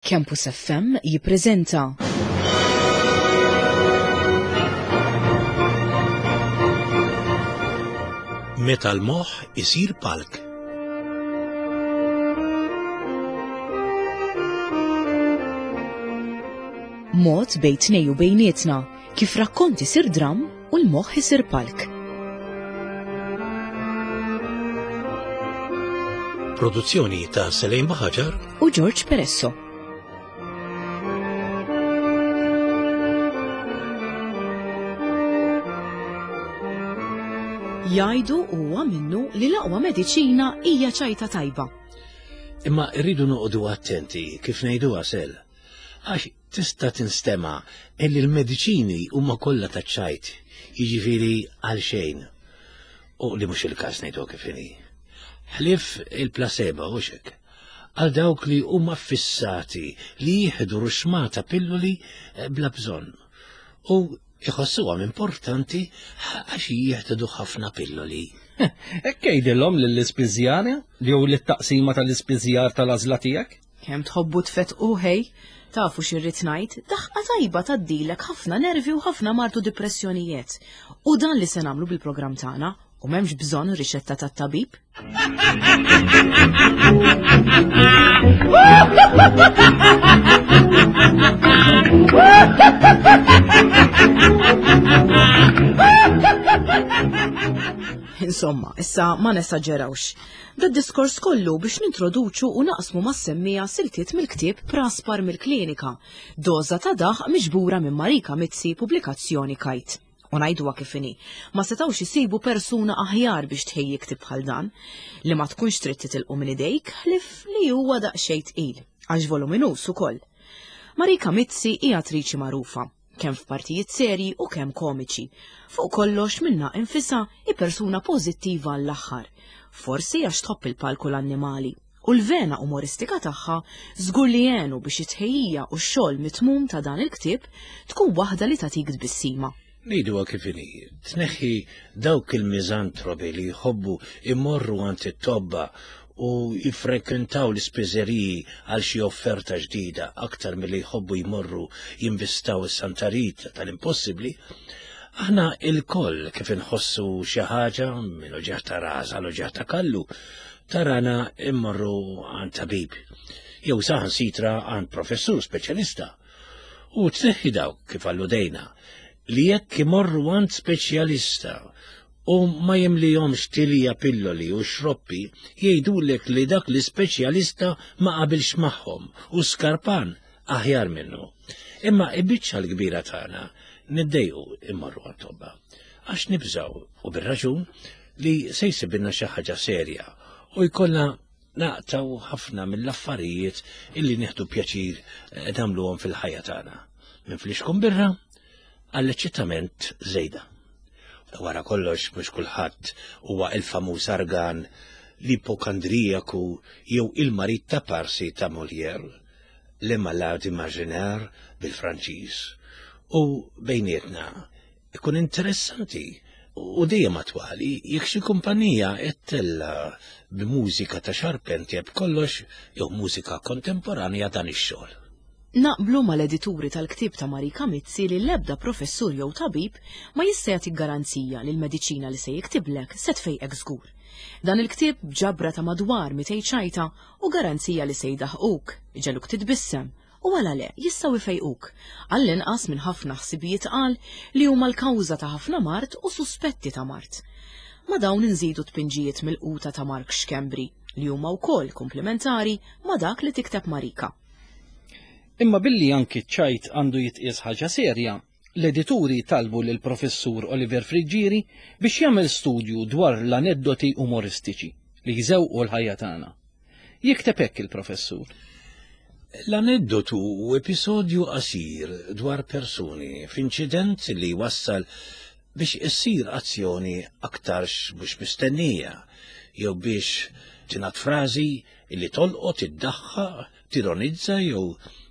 Campus FM jippreżenta. Meta l-moħħ isir palk. Mod bejn tnej u bejnietna kif rakkont isir dramm u l-moħħ isir palk. Produzzjoni ta' Selejn Baħaġar u George Peresso. Jgħidu huwa minnu li l-aqwa mediċina hija ċajta tajba. Imma rridu noqogħdu attenti kif ngħiduha sel. Għax tista' tinstema' illi l-mediċini huma kollha taċ-ċajt, jiġifieri għal xejn. U li mhux il-każ ngħidu kif inhi. Ħlief il-placebo u hekk. Għal dawk li huma fissati li jieħdu ruxmata pilloli eh, bla bżonn. U Iħossuhom importanti għax jieħdu ħafna pilloli. Hekk għidilhom lill-ispiżjara jew lit-taqsima tal-ispiżjar tal-għażla tiegħek? Kemm tħobbu tfettqu ħej, tafu x'irrid ngħid, daħqa tajba tgħaddilek ħafna nervi u ħafna mard u dipressjonijiet. U dan li se nagħmlu bil-programm tagħna u m'hemmx bżonn riċetta tat-tabib. Insomma, issa ma nesaġerawx. Da diskors kollu biex nintroduċu u naqsmu mas-semmija siltiet mill-ktieb Praspar mill-Klinika, doża ta' daħ miġbura minn Marika Mizzi pubblikazzjoni Kajt. U ngħiduha kif inhi, ma setgħux isibu persuna aħjar biex tħejji ktieb bħal dan, li ma tkunx trid titilqu minn idejk ħlief li huwa daqsxejn tqil, għax voluminuż ukoll. Marika Mizzi hi attriċi magħrufa, kemm f'partijiet serji u kemm komiċi. Fuq kollox minnha infisha hi persuna pożittiva għall-aħħar. Forsi għax tħobb il-palk u l-annimali. U l-vena umoristika tagħha żgur li għenu biex it-tħejjija u x-xogħol mitmum ta' dan il-ktieb tkun waħda li tagħtik tbissima. Ngħiduha kif inhi, tneħħi dawk il-miżantropi li jħobbu imorru għand it-tobba u jiffrekwentaw l-ispiżeriji għal xi offerta ġdida aktar milli jħobbu jmorru jinvistaw is-Santa Rita tal-impossibbli, aħna ilkoll kif inħossu xi ħaġa minn uġigħ ta' ras għal uġigħ ta' kallu, tarana immorru għand tabib, jew saħansitra għand professur speċjalista. U tneħħi dawk, kif alludejna, li jekk imorru għand speċjalista u ma jimlihomx tilja pilloli u xroppi, jgħidulek li dak l-ispeċjalista ma qabilx magħhom u skarpan aħjar minnu. Imma il-biċċa l-kbira tagħna niddejqu immorru għand tobba. Għax nibżgħu u bir-raġun li se jsibilna xi ħaġa serja u jkollna naqtaw ħafna mill-affarijiet illi nieħdu pjaċir eh, nagħmluhom fil-ħajja tagħna. Minn flixkun birra għall-eċċitament żejda. Wara kollox mhux kulħadd huwa il-famuż argan l-ipokandrijaku jew il-marid ta' parsi ta' Molière, Le Malade Imaginaire bil-Franċiż. U bejnietna Ikun interessanti u dejjem attwali jekk xi kumpanija qed tella' b'mużika ta' Charpentier b'kollox jew mużika kontemporanja dan ix-xogħol. Naqblu mal-edituri tal-ktieb ta' Marika Mizzi li l-ebda professur jew tabib ma jista' jagħtik garanzija li l-mediċina li se jiktiblek se tfejqek żgur. Dan il-ktieb b'ġabra ta' madwar 200 ċajta hu garanzija li se jdaħquk, iġegħluk titbissem, U għala le, jistgħu jfejquk, għall-inqas minn ħafna ħsibijiet tqal li huma l-kawża ta' ħafna mard u suspetti ta' mard. Ma' dawn inżidu tpinġijiet milquta ta' Mark Schembri, li huma wkoll kumplimentari ma' dak li tikteb Marika. Imma billi anki ċ-ċajt għandu jitqies ħaġa serja, l-edituri talbu lill-Professur Oliver Friggieri biex jagħmel studju dwar l-aneddoti umoristiċi li jżewqu l-ħajja tagħna. Jikteb hekk il-professur. L-aneddotu hu episodju qasir dwar persuni f'inċident li jwassal biex issir azzjoni aktarx mhux mistennija jew biex tingħad frażi li tolqot, iddaħħaq, tironizza jew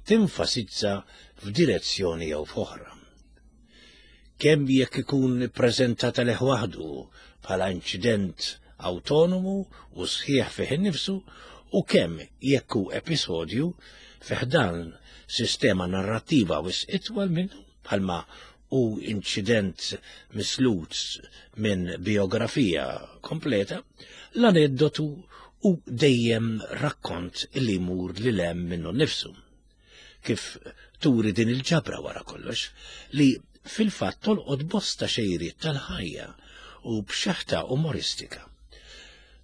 tenfasizza f'direzzjoni jew f'oħra. Kemm jekk ikun ippreżentat għalih waħdu bħala inċident awtonomu u sħiħ fih innifsu. U kemm jekk hu episodju fi ħdan sistema narrattiva wisq itwal minnu bħalma hu inċident mislut minn bijografija kompleta, l-aneddotu hu dejjem rakkont li jmur lil hemm minnu nnifsu. Kif turi din il-ġabra wara kollox, li fil-fatt tolqot bosta xejriet tal-ħajja u b'xeħta umoristika.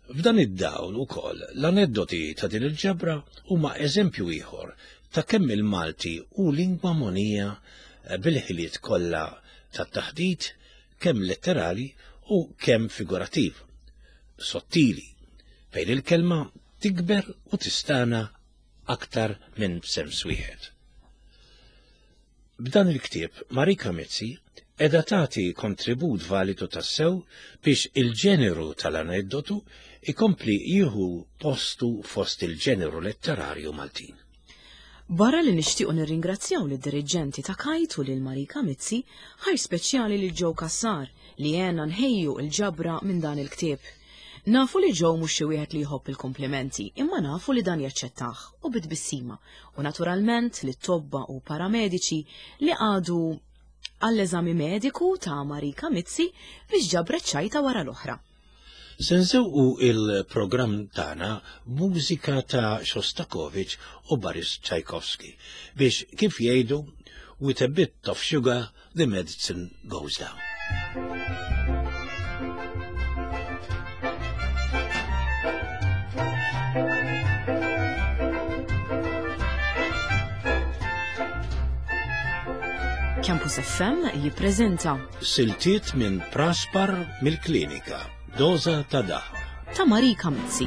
F'dan id-dawl ukoll l-aneddoti ta' din il-ġabra huma eżempju ieħor ta' kemm il-Malti hu lingwa mogħnija bil-ħiliet kollha tat-taħdit kemm letterali u kemm figurattiv, sottili, fejn il-kelma tikber u tistagħna aktar minn b'sens wieħed. B'dan il-ktieb Marika Mizzi qiegħda tagħti kontribut validu tassew biex il-ġeneru tal-aneddotu ikompli jieħu postu fost il-ġeneru letterarju Maltin. Barra li nixtiequ nirringrazzjaw lid-diriġenti ta' Kite u lil Marika Mizzi, ħajr speċjali lil Joe Cassar li għenna nħejju l-ġabra minn dan il-ktieb. Nafu li Joe mhux xi wieħed li jħobb il-kumplimenti, imma nafu li dan jaċċettah u bi tbissima, u naturalment lit-tobba u paramediċi li qagħdu għall-eżami mediku ta' Marika Mizzi biex ġabret ċajta wara l-oħra. Se nżewqu il-programm tagħna b'mużika ta' Shostakovich u Boris Tchaikovsky biex kif jgħidu with a bit of sugar the medicine goes down. Campus FM jippreżenta Siltiet minn Praspar mill-Klinika, Doża ta' Daħq. Ta' Marika Mizzi.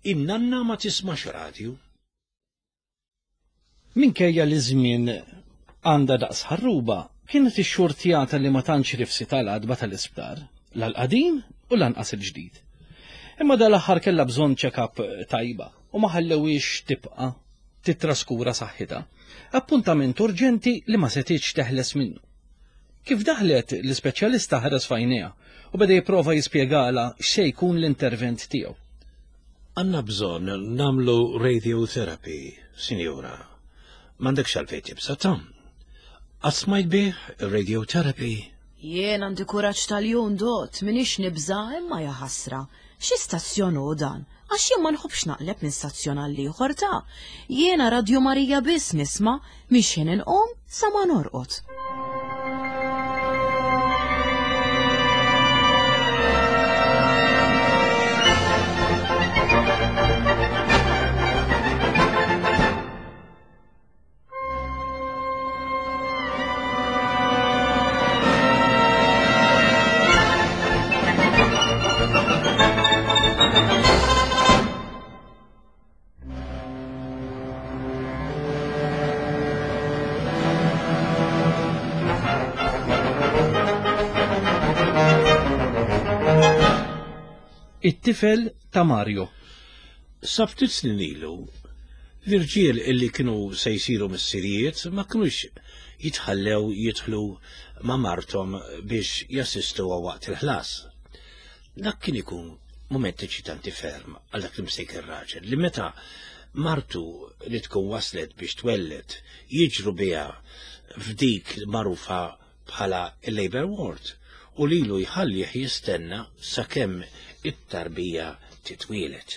In-nanna ma tismax radju. Minkejja li ż-żmien għandha daqs ħarruba, kienet ixxurtjata li ma tantx rifsit għal għatba tal-isptar, la l-qadim u lanqas il-ġdid. Imma dal-aħħar kellha bżonn check-up tajba u ma ħallewhiex tibqa' tittraskura saħħitha. Appuntament urġenti li ma setgħetx teħles minnu. Kif daħlet, l-ispeċjalista ħares f'għajnejha u beda jipprova jispjegalha x'se jkun l-intervent tiegħu. Għandna bżonn nagħmlu radiotherapy, sinjura. M'għandekx għalfejn tibża' ta'. Qatt smajt bih ir-radiotherapy? Jien għandi kuraġġ tal-jun dot, m'iniex nibża' imma jaħasra. Xi stazzjon hu dan? Għax jien ma nħobbx naqleb minn stazzjon għal ieħor ta'. Jiena Radju Marija biss nisma' minn x'ħin inqum sa ma norqod. It-tifel ta' Mario. Sa ftit snin ilu, l-irġiel illi kienu se jsiru missirijiet ma kinux jitħallew jidħlu ma' marthom biex jassistuha waqt il-ħlas. Dak kien ikun mument eċitanti ferm għal dak l-imsejken raġel li meta martu li tkun waslet biex twelled jiġru biha f'dik magħrufa bħala il-labor ward u lilu jħallih jistenna sakemm it-tarbija titwieled.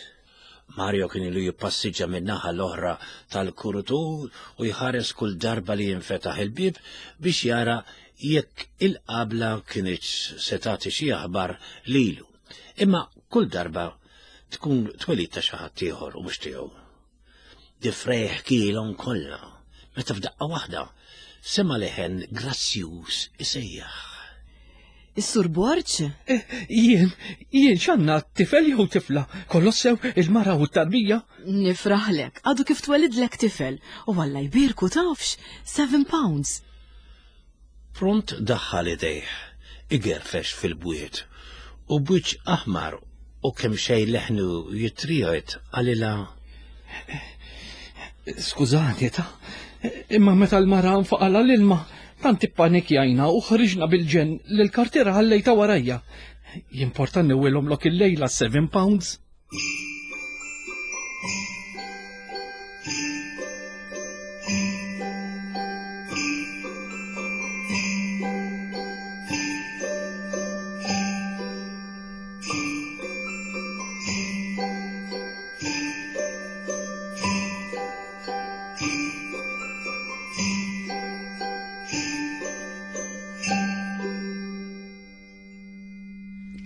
Mario kien ilu jippassiġġa min-naħa l-oħra tal-kurutur u jħares kull darba li jinfetaħ il-bieb biex jara jekk il-qabla kinitx se tagħti xi aħbar lilu. Imma kull darba tkun twelid ta' xi ħadd ieħor u mhux tiegħu. Difrejh kielhom kollha, meta f'daqqa waħda sema' leħen grazzjuż isejjaħ. Is-Sur Borg? Eh, jien, jien x'għandna tifel jew tifla, kollox sew il-mara u t-tarbija? Nifraħlek, għadu kif twelidlek tifel, u Alla jbierku tafx, 7 pounds. Pront daħħal idejh, igerfex fil-bwiet, u b'wiċċ aħmar u kemxejn leħnu jitriegħed qalilha. Skużani ta', imma meta l-mara nfaqalha l-ilma, Tant ippanikjajna u ħriġna bil-ġenn li l-kartiera ħallejtha warajja. Jimporta newwilhomlok illejla 7 pounds?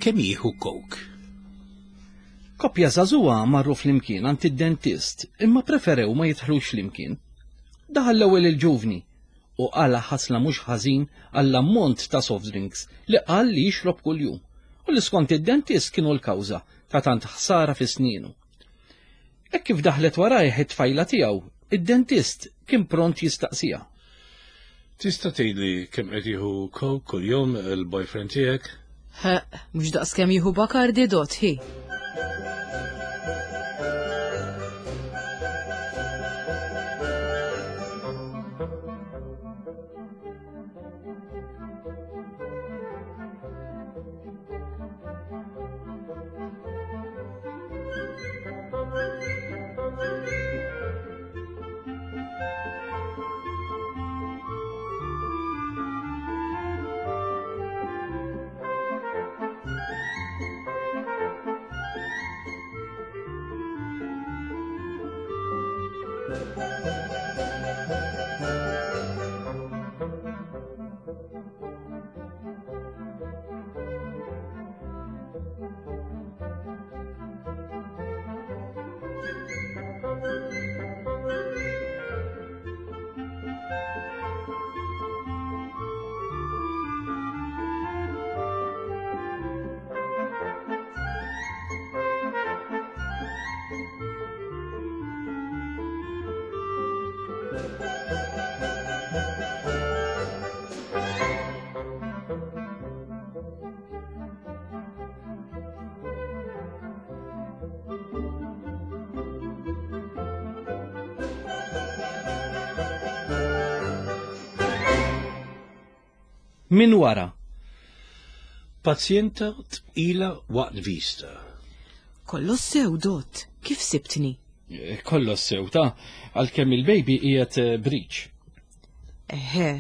Kemm jieħu coke? Koppja żagħżugħa marru flimkien għand id-dentist imma preferew ma jidħlux flimkien. Daħal l-ewwel il-ġuvni u qala' ħasla mhux ħażin għall-ammont ta' soft drinks li qal li jixrob kuljum u li skont id-dentist kienu l-kawża ta' tant ħsara fi snienu. Hekk kif daħlet warajh it-tfajla tiegħu, id-dentist kien pront jistaqsiha. Tista' tgħidli kemm qed jieħu coke kuljum il-boyfriend tiegħek? Ħeqq, mhux daqskemm jieħu Bacardi Dot, hi. Min wara. Pazjenta tqila waqt vista. Kollox sew, Dott, kif sibtni? Eh, kollox sew ta' għalkemm il-baby qiegħed eh, breach. Eħe,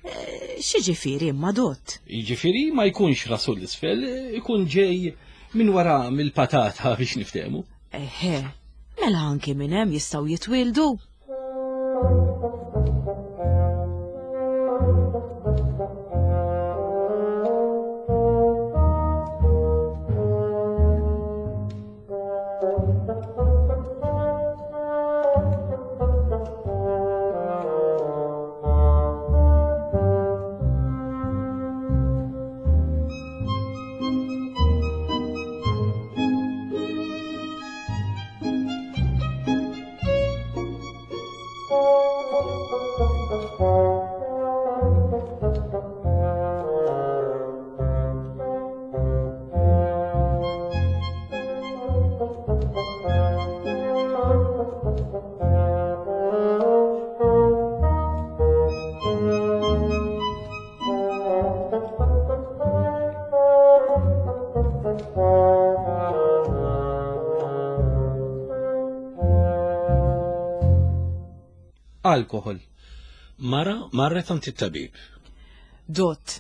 eh, x'jiġifieri imma Dott? Jiġifieri ma jkunx rasu l-isfel, ikun ġej minn wara mill-patata biex niftehmu. Eħe, mela anki minn hemm jistgħu jitwieldu? Alkohol. Mara marret għand it-tabib. Dott,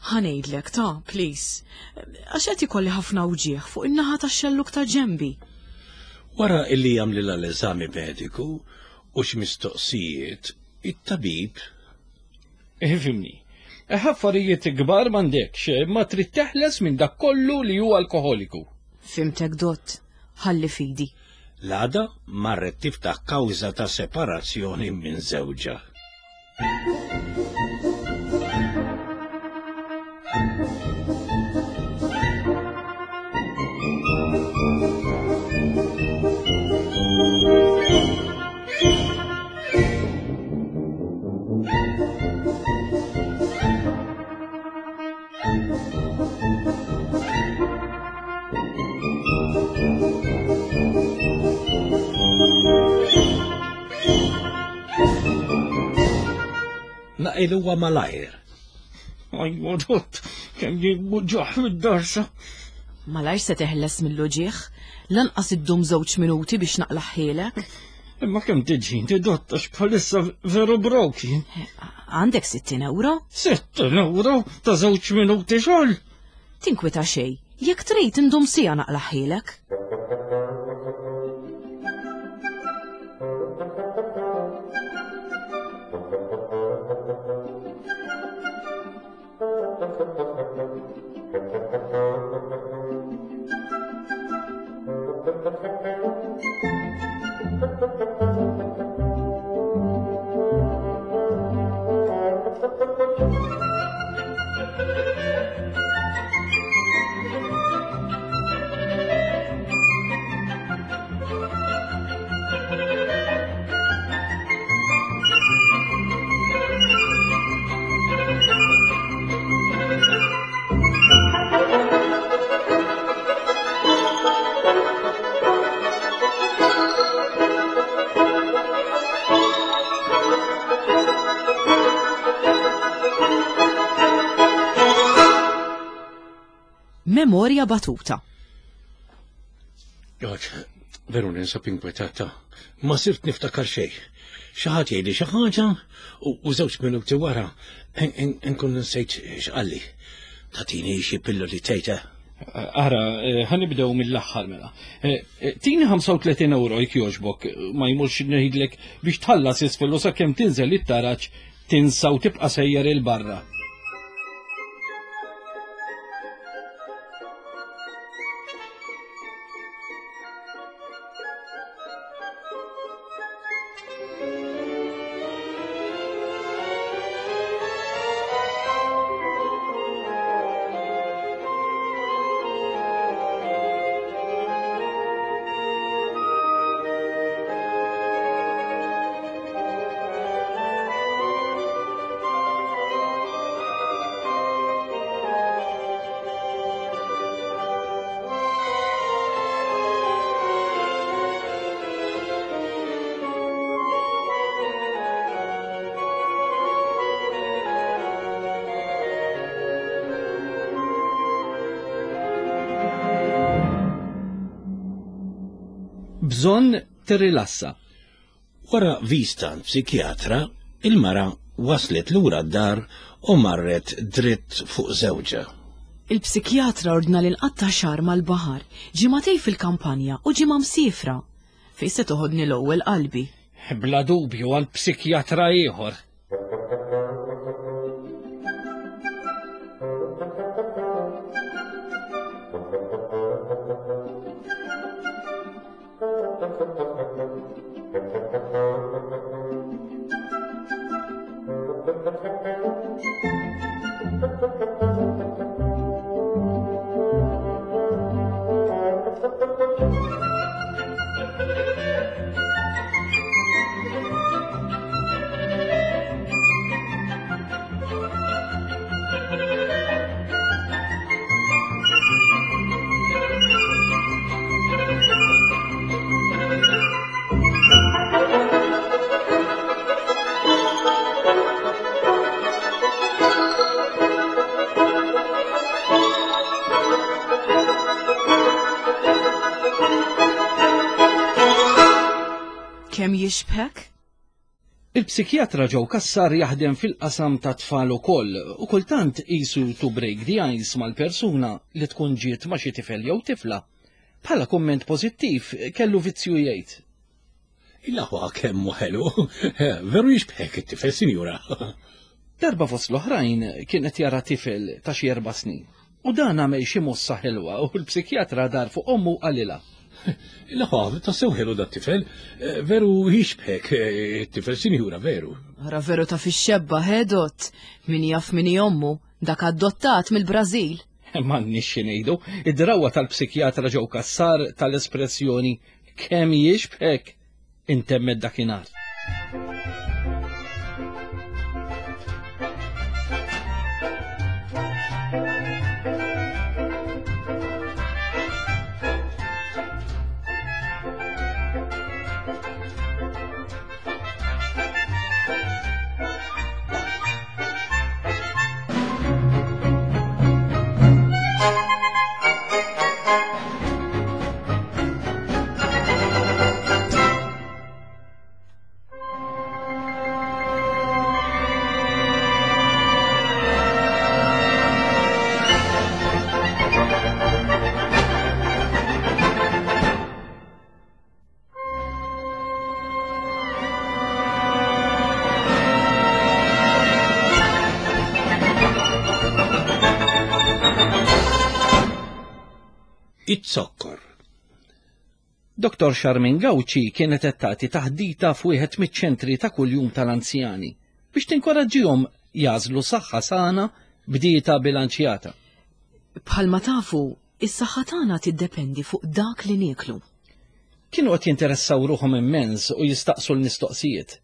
ħa ngħidlek ta' please. Għax qed ikolli ħafna wġigħ fuq in-naħa tax-xellug ta' ġenbi. Wara illi għamlilha l-eżami mediku u xi mistoqsijiet, it-tabib Ifhimni. Affarijiet kbar m'għandekx, imma trid teħles minn dak kollu li hu alkoħoliku. Fhimtek Dott, ħalli f'idi. L-għada marret tiftaħ kawża ta' separazzjoni minn żewġha. Jaqilhuha malajr. Ajwa, dott, kemm jimmuġġaħ mid-darsa. Malajr se teħles mill-uġigħ, lanqas iddum żewġ minuti biex naqlaħħielek. Imma kemm tiġi inti dott għax bħalissa veru broki. Għandek 60 euro? 60 euro ta' żewġ minuti xogħol. Tinkwita xejn, jekk trid indum sija naqlaħħielek. Memorja batuta. George, veru ninsab inkwetata. Ma sirt niftakar xejn. Xi ħadd jgħidli xi ħaġa u żewġ minuti wara nkun nsejt x'qalli. Tatini xi pilloli tgħid. Ara, eh, ħanibdew mill-aħħar mela. Eh, eh, tini 35 euro jekk jogħġbok, ma jmurx ngħidlek biex tħallas isfel u sakemm tinżel it-taraġ tinsa u tibqa' sejjer il-barra. Bżonn tirrilassa. Wara vista għand psikjatra, il-mara waslet lura d-dar u marret dritt fuq żewġha. Il-psikjatra ordna li nqatta' xahar mal-baħar, ġimagħtejn fil-kampanja u ġimgħa msiefra. Fejn se toħodni l-ewwel qalbi? Bla dubju għand psikjatra ieħor. Kemm jixbħek? Il-psikjatra Joe Cassar jaħdem fil-qasam ta' tfal ukoll u kultant qisu to break the ice mal-persuna li tkun ġiet ma' xi tifel jew tifla. Bħala kumment pożittiv kellu vizzju jgħid. Il-aħwa kemm hu ħelu, veru jixbħek it-tifel, sinjura. Darba fost l-oħrajn kien qed jara tifel ta' xi erba' snin. U dan għamel xi mossa ħelwa u l-psikjatra dar fuq ommu u qalilha. Il-aħwa tassew ħelu dat-tifel, veru jixbħek it-tifel, sinjura, veru. Ara veru ta' fix-xebba, ħedot, min jaf min hi ommu, dak adottat mill-Brażil. M'għandniex xi ngħidu, id-drawwa tal-psikjatra Joe Cassar tal-espressjoni kemm jixbħek intemmet dakinhar. Iz-zokkor. Dottor Charmaine Gauci kienet qed tagħti taħdita f'wieħed miċ-ċentri ta' kuljum tal-anzjani biex tinkoraġġihom jagħżlu saħħa sana b'dieta bilanċjata. Bħalma tafu, is-saħħa tagħna tiddependi fuq dak li nieklu. Kienu qed jinteressaw ruħhom immens u jistaqsu l-mistoqsijiet.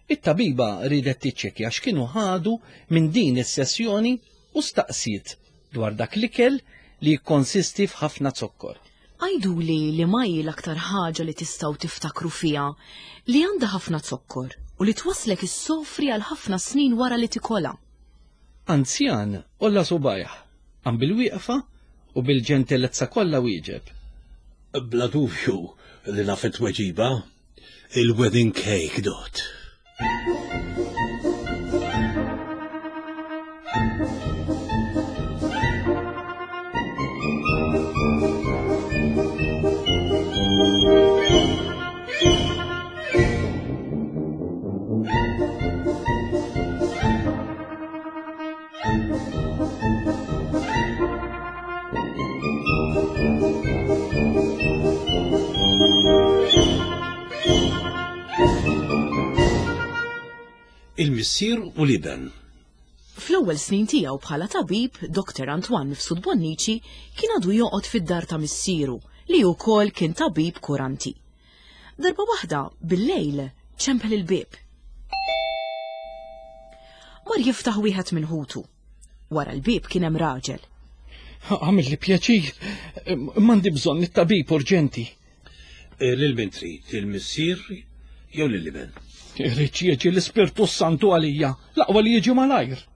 It-tabiba riedet tiċċekkja x'kienu ħadu minn din is-sessjoni u staqsiet dwar dak l-ikel li jikkonsisti f'ħafna zokkor. Għiduli liema hi l-aktar ħaġa li tistgħu tiftakru fiha li għandha ħafna zokkor u li twasslek issofri għal ħafna snin wara li tikolha. Anzjan għolla subgħajh, qam bil-wieqfa u bil-ġentilezza kollha wieġeb. Bla dubju li naf it-tweġiba. Il-wedding cake dot. Il-missier u l-iben. Fl-ewwel snin tiegħu bħala tabib, Dr. Antoine Mifsud Bonnici kien għadu joqgħod fid-dar ta' missieru li wkoll kien tabib kuranti. Darba waħda, bil-lejl, ċempel il-bieb. Mar jiftaħ wieħed minn ħutu. Wara l-bieb kien hemm raġel. Għamilli pjaċir, m'għandi bżonn it-tabib urġenti. Eh, lil min trid, lill-missier jew lill-iben? Irrid jiġi l-Ispirtu Santu għalija, l-aqwa li jiġi malajr.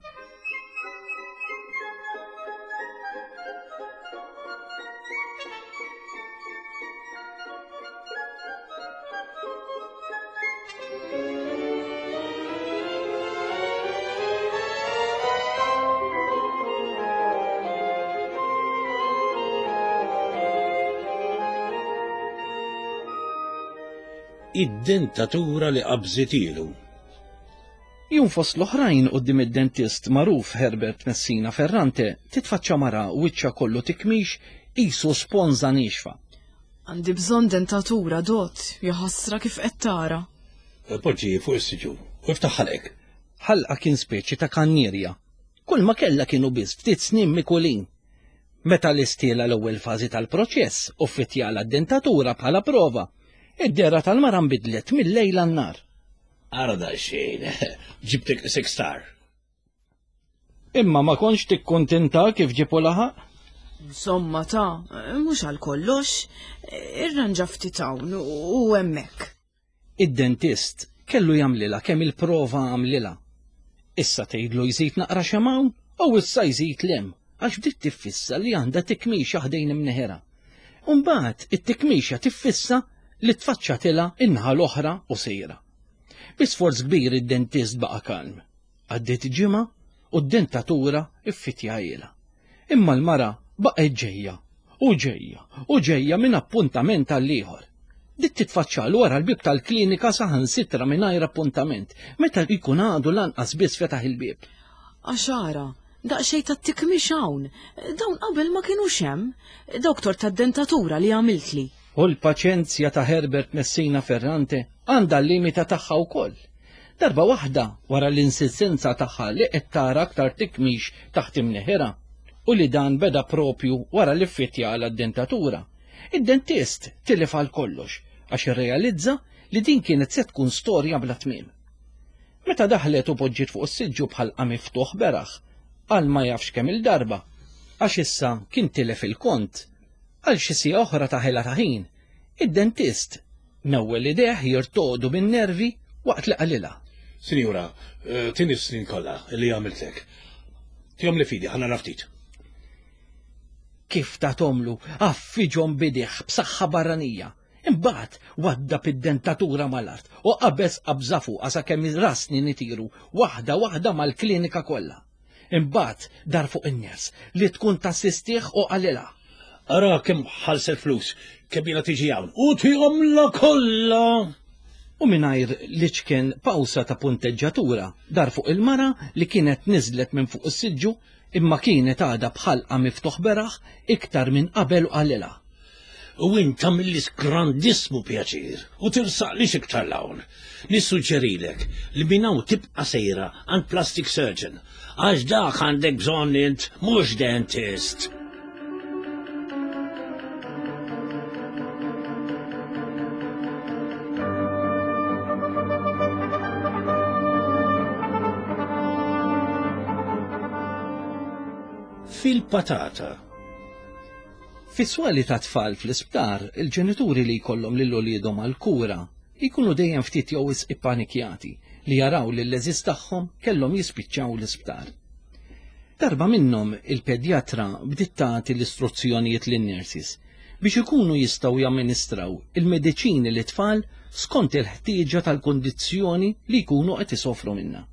Id-dentatura li qabżitilu. Jum fost l-oħrajn quddiem id-dentist magħruf Herbert Messina Ferrante titfaċċa mara wiċċha kollu tikmix qisu sponża niexfa. Għandi bżonn dentatura, Dott, jaħasra kif qed tara. Poġġi fuq is-siġġu u iftaħ ħalqek. Ħalqha kien speċi ta' kannierja. Kulma kellha kienu biss ftit snien mikulin. Meta lestielha l-ewwel fażi tal-proċess u ffittjalha d-dentatura bħala prova, id-dehra tal-mara nbidlet mil-lejl għan-nhar. Ara daqsxejn, ġibtek six star. Imma ma kontx tikkuntinta kif ġipu laħaq? Insomma ta, mhux għal kollox, irranġa ftit hawn u hemmhekk. Id-dentist kellu jagħmlilha kemm il-prova għamlilha. Issa tgħidlu jżid naqra xemgħa hawn u issa jżid 'l hemm għax bdiet tiffissa li għandha tikmixa ħdejn imneħirha. U mbagħad it-tikmixa tiffissa li tfaċċatilha in-naħa l-oħra u sejra. Bi sforz kbir id-dentist baqa' kalm. Għaddiet ġimgħa u d-dentatura ffitjahielha. Imma l-mara baqgħet ġejja u ġejja u ġejja minn appuntament għall-ieħor. Bdiet titfaċċalu wara l-bieb tal-klinika saħansitra mingħajr appuntament, meta jkun għadu lanqas biss fetaħ il-bieb. Għax ara, daqsxejn ta' tikmix hawn, dawn qabel ma kinux hemm, doktor tad-dentatura li għamiltli. U l-paċenzja ta' Herbert Messina Ferrante għandha l-limita tagħha wkoll. Darba waħda, wara l-insistenza tagħha li qed tara aktar tikmix taħt imneħirha, u li dan beda proprju wara li ffittjala d-dentatura, id-dentist tilef għal kollox għax irrealizza li din kienet se tkun storja bla tmiem. Meta daħlet u poġġiet fuq is-siġġu b'ħalqha miftuħ beraħ, għal ma jafx kemm-il darba, għax issa kien tilef il-kont, għal xi siegħa oħra ta' ħela ta' ħin, id-dentist Newwel idejh jirtogħdu bin-nervi waqt li qalilha. Sinjura, tini s-snin kollha li għamiltlek. Tihomli f'idi, ħa nara ftit. Kif tathomlu, għaffiġhom b'idejh b'saħħa barranija. Imbagħad waddab id-dentatura mal-art u qabeż qabża fuqha sakemm ir-rasni nitiru waħda waħda mal-klinika kollha. Imbagħad dar fuq in-ners li tkun tassistih u qalilha. Ara kemm ħallset flus, kemm ilha tiġi hawn, u tihomlha kollha! U mingħajr l-iċken pawsa ta' punteġġatura, dar fuq il-mara li kienet niżlet minn fuq is-siġġu, Imma kienet għadha b'ħalqha miftuħ beraħ iktar minn qabel u qalilha. U int tagħmilli grandissmu pjaċir u tirsaqlix iktar 'l hawn. Nissuġġerilek li minn hawn tibqa' sejra għand plastic surgeon għax dak għandek bżonn int mhux dentist. Fil-patata. Fis-swali ta' tfal fl-isptar, il-ġenituri li jkollhom lil uliedhom għall-kura jkunu dejjem ftit jew wisq ippanikjati li jaraw lill-għeżież tagħhom kellhom jispiċċaw l-isptar. Darba minnhom il-pedjatra bdiet tagħti l-istruzzjonijiet lin-nurses biex ikunu jistgħu jamministraw il-mediċini lit-tfal skont il-ħtieġa tal-kundizzjoni li jkunu qed isofru minnha.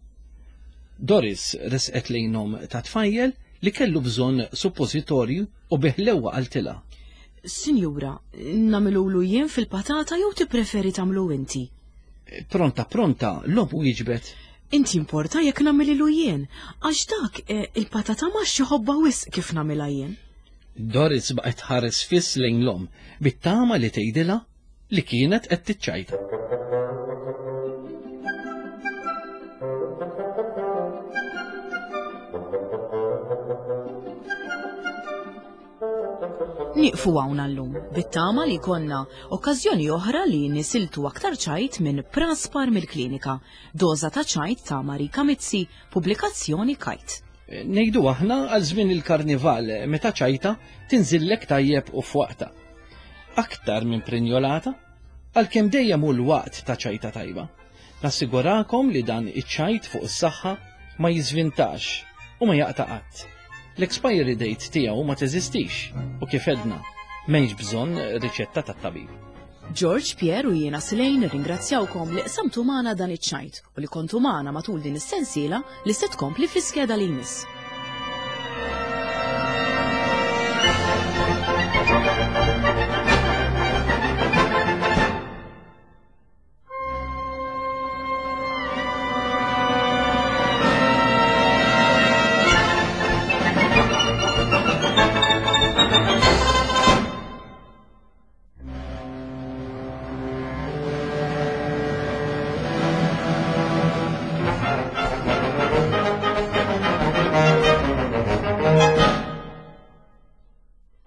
Doris resqet lejn omm ta' tfajjel li kellu bżonn suppożitorju u bi ħlewwa qaltilha. Sinjura, nagħmilulu jien fil-patata jew tippreferi tagħmlu inti? Pronta pronta, l-omm wieġbet. Int jimporta jekk nagħmililu jien, għax dak eh, il-patata maxx iħobbha wisq kif nagħmilha jien. Doris baqgħet tħares fiss lejn l-omm bit-tama li tgħidilha li kienet qed tiċċajta. Nieqfu hawn għallum, bit-tama li jkollna okkażjoni oħra li nisiltu aktar ċajt minn Praspar mill-Klinika, doża ta' ċajt ta' Marika Mizzi, pubblikazzjoni Kite. Ngħidu aħna għal żmien il-karnival meta ċajta tinżillek tajjeb u f'waqtha. Aktar minn prinjolata, għalkemm dejjem hu l-waqt ta' ċajta tajba. Nassigurakom li dan iċ-ċajt fuq is-saħħa ma jiżvintax u ma jaqta' qatt. L-expiry date tiegħu ma teżistix u kif għedna, m'hemmx bżonn riċetta tat-tabib. George, Pierre u jiena Slane nirringrazzjawkom li qsamtu magħna dan iċ-ċajt u li kontu magħna matul din is-sensiela li se tkompli fl-iskeda li jmiss.